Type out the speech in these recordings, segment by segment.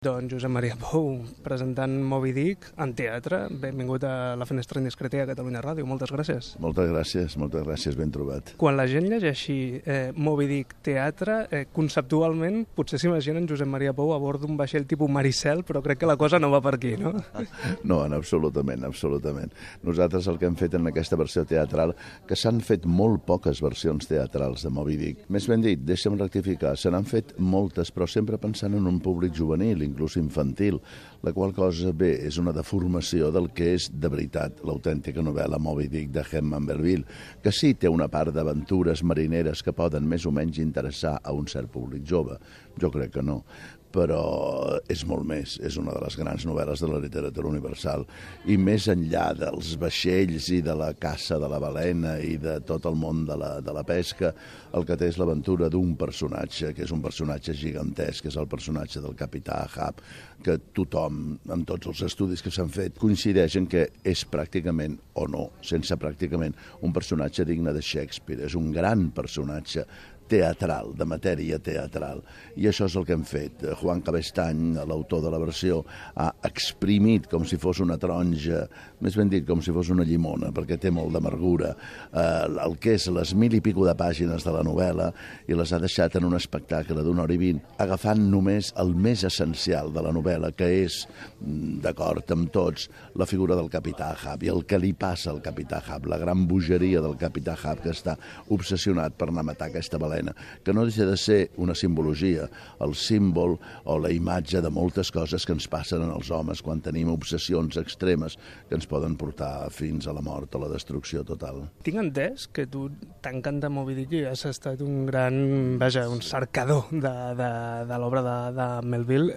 Doncs Josep Maria Pou, presentant Moby Dick en teatre. Benvingut a La Finestra Indiscreta i a Catalunya Ràdio. Moltes gràcies. Moltes gràcies, ben trobat. Quan la gent llegeixi Moby Dick teatre, conceptualment potser s'imaginen Josep Maria Pou a bord d'un vaixell tipus Maricel, però crec que la cosa no va per aquí, no? No, absolutament. Nosaltres el que hem fet en aquesta versió teatral, que s'han fet molt poques versions teatrals de Moby Dick. Més ben dit, deixa'm rectificar, se n'han fet moltes, però sempre pensant en un públic juvenil, inclús infantil, la qual cosa, bé, és una deformació del que és de veritat l'autèntica novel·la Moby Dick de Herman Melville, que sí té una part d'aventures marineres que poden més o menys interessar a un cert públic jove. Jo crec que no, però és molt més, és una de les grans novel·les de la literatura universal, i més enllà dels vaixells i de la caça de la balena i de tot el món de la pesca, el que té és l'aventura d'un personatge, que és un personatge gigantesc, que és el personatge del capità Ahab, que tothom, amb tots els estudis que s'han fet, coincideixen que és pràcticament, o no, sense pràcticament, un personatge digne de Shakespeare. És un gran personatge teatral, de matèria teatral. I això és el que hem fet. Juan Cabestany, l'autor de la versió, ha exprimit com si fos una taronja, més ben dit, com si fos una llimona, perquè té molt d'amargura, el que és les 1000 i pico de pàgines de la novel·la, i les ha deixat en un espectacle d'una hora i 20, agafant només el més essencial de la novel·la, que és, d'acord amb tots, la figura del capità Ahab i el que li passa al capità Ahab, la gran bogeria del capità Ahab, que està obsessionat per anar a matar aquesta balena, que no deixa de ser una simbologia, el símbol o la imatge de moltes coses que ens passen en els homes quan tenim obsessions extremes que ens poden portar fins a la mort o la destrucció total. Tinc entès que tu t'encanta Moby Dick i has estat un gran, un cercador de l'obra de Melville.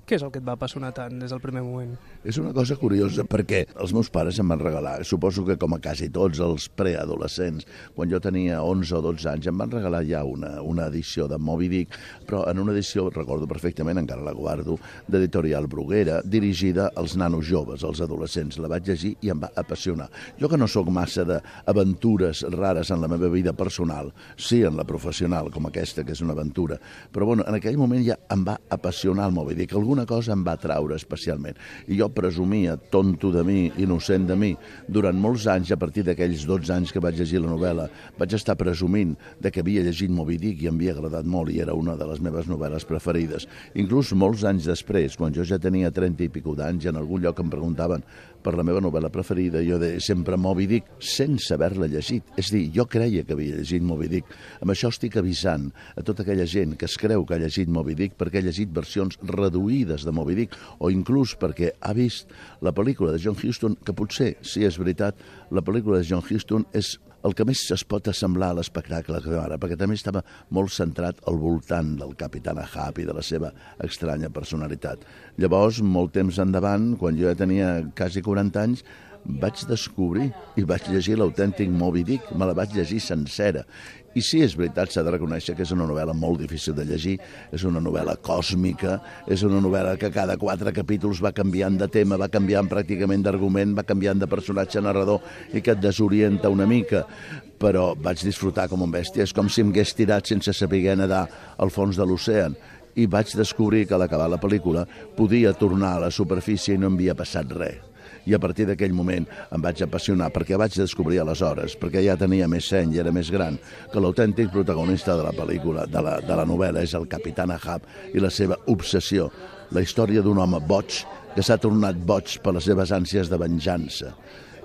Què és el que et va apassionar tant des del primer moment? És una cosa curiosa perquè els meus pares em van regalar, suposo que com a quasi tots els preadolescents, quan jo tenia 11 o 12 anys, em van regalar ja una edició de Moby Dick, però en una edició, recordo perfectament, encara la guardo, d'Editorial Bruguera, dirigida als nanos joves, als adolescents. La vaig llegir i em va apassionar. Jo que no sóc massa d'aventures rares en la meva vida personal, sí en la professional, com aquesta, que és una aventura, però bueno, en aquell moment ja em va apassionar el Moby Dick, alguna cosa em va atraure especialment. I jo presumia, tonto de mi, innocent de mi, durant molts anys, a partir d'aquells 12 anys que vaig llegir la novel·la, vaig estar presumint de que havia llegit Moby Dick i em havia agradat molt i era una de les meves novel·les preferides. Inclús molts anys després, quan jo ja tenia 30 i pico d'anys, en algun lloc em preguntaven per la meva novel·la preferida, jo deia sempre Moby Dick, sense haver-la llegit. És a dir, jo creia que havia llegit Moby Dick. Amb això estic avisant a tota aquella gent que es creu que ha llegit Moby Dick perquè ha llegit versions reduïdes de Moby Dick o inclús perquè ha vist la pel·lícula de John Huston, que potser, si és veritat, la pel·lícula de John Huston és el que més es pot assemblar a l'espectacle que veu ara, perquè també estava molt centrat al voltant del capità Ahab i de la seva estranya personalitat. Llavors, molt temps endavant, quan jo ja tenia quasi 40 anys, vaig descobrir i vaig llegir l'autèntic Moby Dick, me la vaig llegir sencera. I sí, és veritat, s'ha de reconèixer que és una novel·la molt difícil de llegir, és una novel·la còsmica, és una novel·la que cada 4 capítols va canviant de tema, va canviant pràcticament d'argument, va canviant de personatge narrador i que et desorienta una mica, però vaig disfrutar com un bèstia. És com si em hagués tirat sense saber nedar al fons de l'oceà i vaig descobrir que a l'acabar la pel·lícula podia tornar a la superfície i no havia passat res. I a partir d'aquell moment em vaig apassionar, perquè vaig descobrir aleshores, perquè ja tenia més seny i era més gran, que l'autèntic protagonista de la pel·lícula, de la novel·la, és el capità Ahab i la seva obsessió, la història d'un home boig que s'ha tornat boig per les seves ànsies de venjança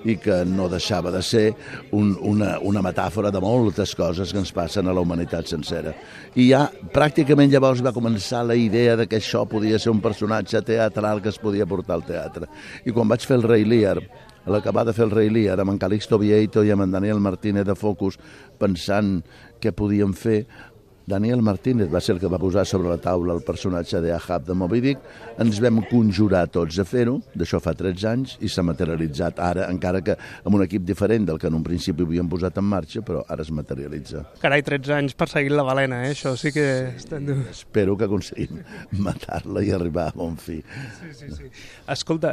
i que no deixava de ser una metàfora de moltes coses que ens passen a la humanitat sencera. I ja pràcticament llavors va començar la idea de que això podia ser un personatge teatral que es podia portar al teatre. I quan vaig fer el Rei Lear, a l'acabar de fer el Rei Lear, amb en Calixto Vieito i amb en Daniel Martínez de Focus, pensant què podíem fer, Daniel Martínez va ser el que va posar sobre la taula el personatge d'Ahab de Moby Dick. Ens vam conjurar tots a fer-ho, d'això fa 13 anys, i s'ha materialitzat ara, encara que amb un equip diferent del que en un principi havíem posat en marxa, però ara es materialitza. Carai, 13 anys perseguint la balena, Això sí que està dur. Espero que aconseguim matar-la i arribar a bon fi. Sí. Escolta,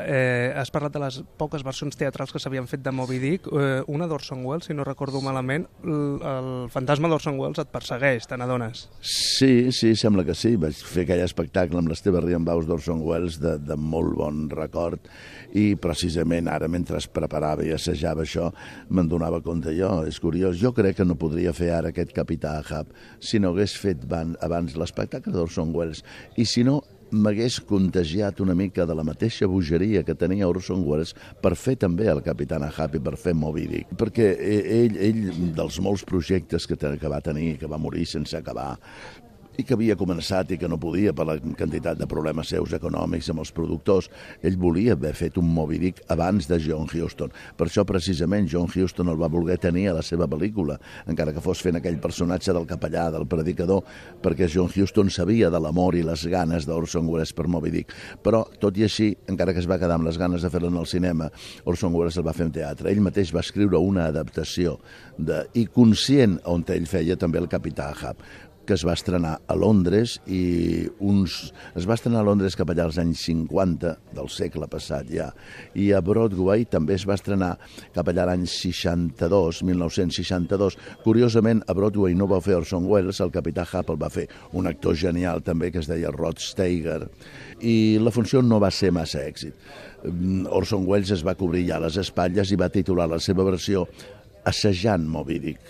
has parlat de les poques versions teatrals que s'havien fet de Moby Dick. Una d'Orson Welles, si no recordo malament, el fantasma d'Orson Welles et persegueix, te n'adones. dones. Sí, sembla que sí. Vaig fer aquell espectacle amb l'Esteve Riembaus d'Orson Welles de molt bon record i precisament ara, mentre es preparava i assajava això, me'n donava compte jo. És curiós. Jo crec que no podria fer ara aquest Capità Ahab si no hagués fet abans l'espectacle d'Orson Welles. I si no, m'hagués contagiat una mica de la mateixa bogeria que tenia Orson Welles per fer també el Capità Ahab i per fer Moby Dick. Perquè ell dels molts projectes que va tenir, que va morir sense acabar, i que havia començat i que no podia per la quantitat de problemes seus econòmics amb els productors, ell volia haver fet un Moby Dick abans de John Huston. Per això, precisament, John Huston el va voler tenir a la seva pel·lícula, encara que fos fent aquell personatge del capellà, del predicador, perquè John Huston sabia de l'amor i les ganes d'Orson Welles per Moby Dick. Però, tot i així, encara que es va quedar amb les ganes de fer-lo en el cinema, Orson Welles el va fer en teatre. Ell mateix va escriure una adaptació i conscient on ell feia també el Capità Ahab, que es va estrenar a Londres es va estrenar a Londres cap allà als anys 50 del segle passat ja, i a Broadway també es va estrenar cap allà l'any 1962. Curiosament, a Broadway no va fer Orson Welles, el Capità Ahab el va fer un actor genial també que es deia Rod Steiger, i la funció no va ser massa èxit. Orson Welles es va cobrir ja les espatlles i va titular la seva versió Assajant Moby Dick,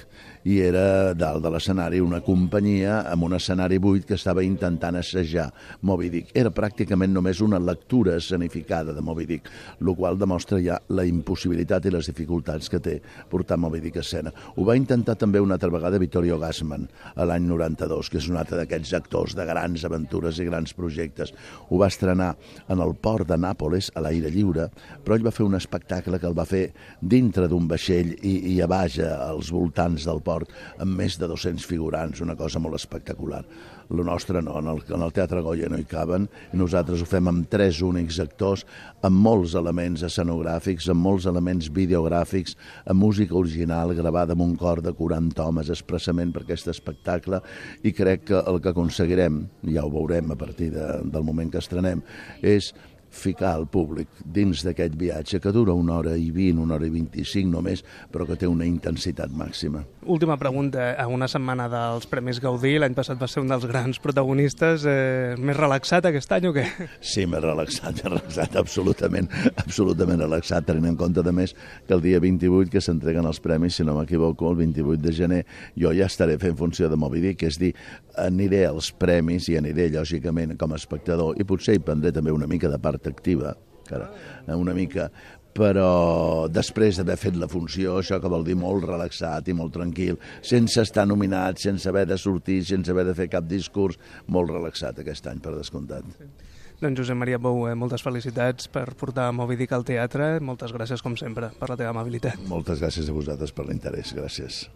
i era dalt de l'escenari una companyia amb un escenari buit que estava intentant assajar Moby Dick. Era pràcticament només una lectura escenificada de Moby Dick, el qual demostra ja la impossibilitat i les dificultats que té portar Moby Dick a escena. Ho va intentar també una altra vegada Vittorio Gassman a l'any 92, que és un altre d'aquests actors de grans aventures i grans projectes. Ho va estrenar en el port de Nàpoles a l'aire lliure, però ell va fer un espectacle que el va fer dintre d'un vaixell i a baix, als voltants del port, amb més de 200 figurants, una cosa molt espectacular. Lo nostre no, en el Teatre Goya no hi caben, i nosaltres ho fem amb 3 únics actors, amb molts elements escenogràfics, amb molts elements videogràfics, amb música original gravada amb un cor de 40 homes expressament per aquest espectacle, i crec que el que aconseguirem, ja ho veurem a partir del moment que estrenem, és ficar el públic dins d'aquest viatge que dura 1 hora i 20, 1 hora i 25 només, però que té una intensitat màxima. Última pregunta. A una setmana dels Premis Gaudí, l'any passat va ser un dels grans protagonistes. Més relaxat aquest any o què? Sí, més relaxat, absolutament relaxat, tenint en compte, a més, que el dia 28 que s'entreguen els premis, si no m'equivoco, el 28 de gener, jo ja estaré fent funció de Moby Dick, és dir, aniré als premis i aniré, lògicament, com a espectador, i potser hi prendré també una mica de part activa, una mica, però després d'haver fet la funció, això que vol dir molt relaxat i molt tranquil, sense estar nominat, sense haver de sortir, sense haver de fer cap discurs, molt relaxat aquest any, per descomptat. Doncs Josep Maria Bou, moltes felicitats per portar Moby Dick al teatre, moltes gràcies com sempre per la teva amabilitat. Moltes gràcies a vosaltres per l'interès, gràcies.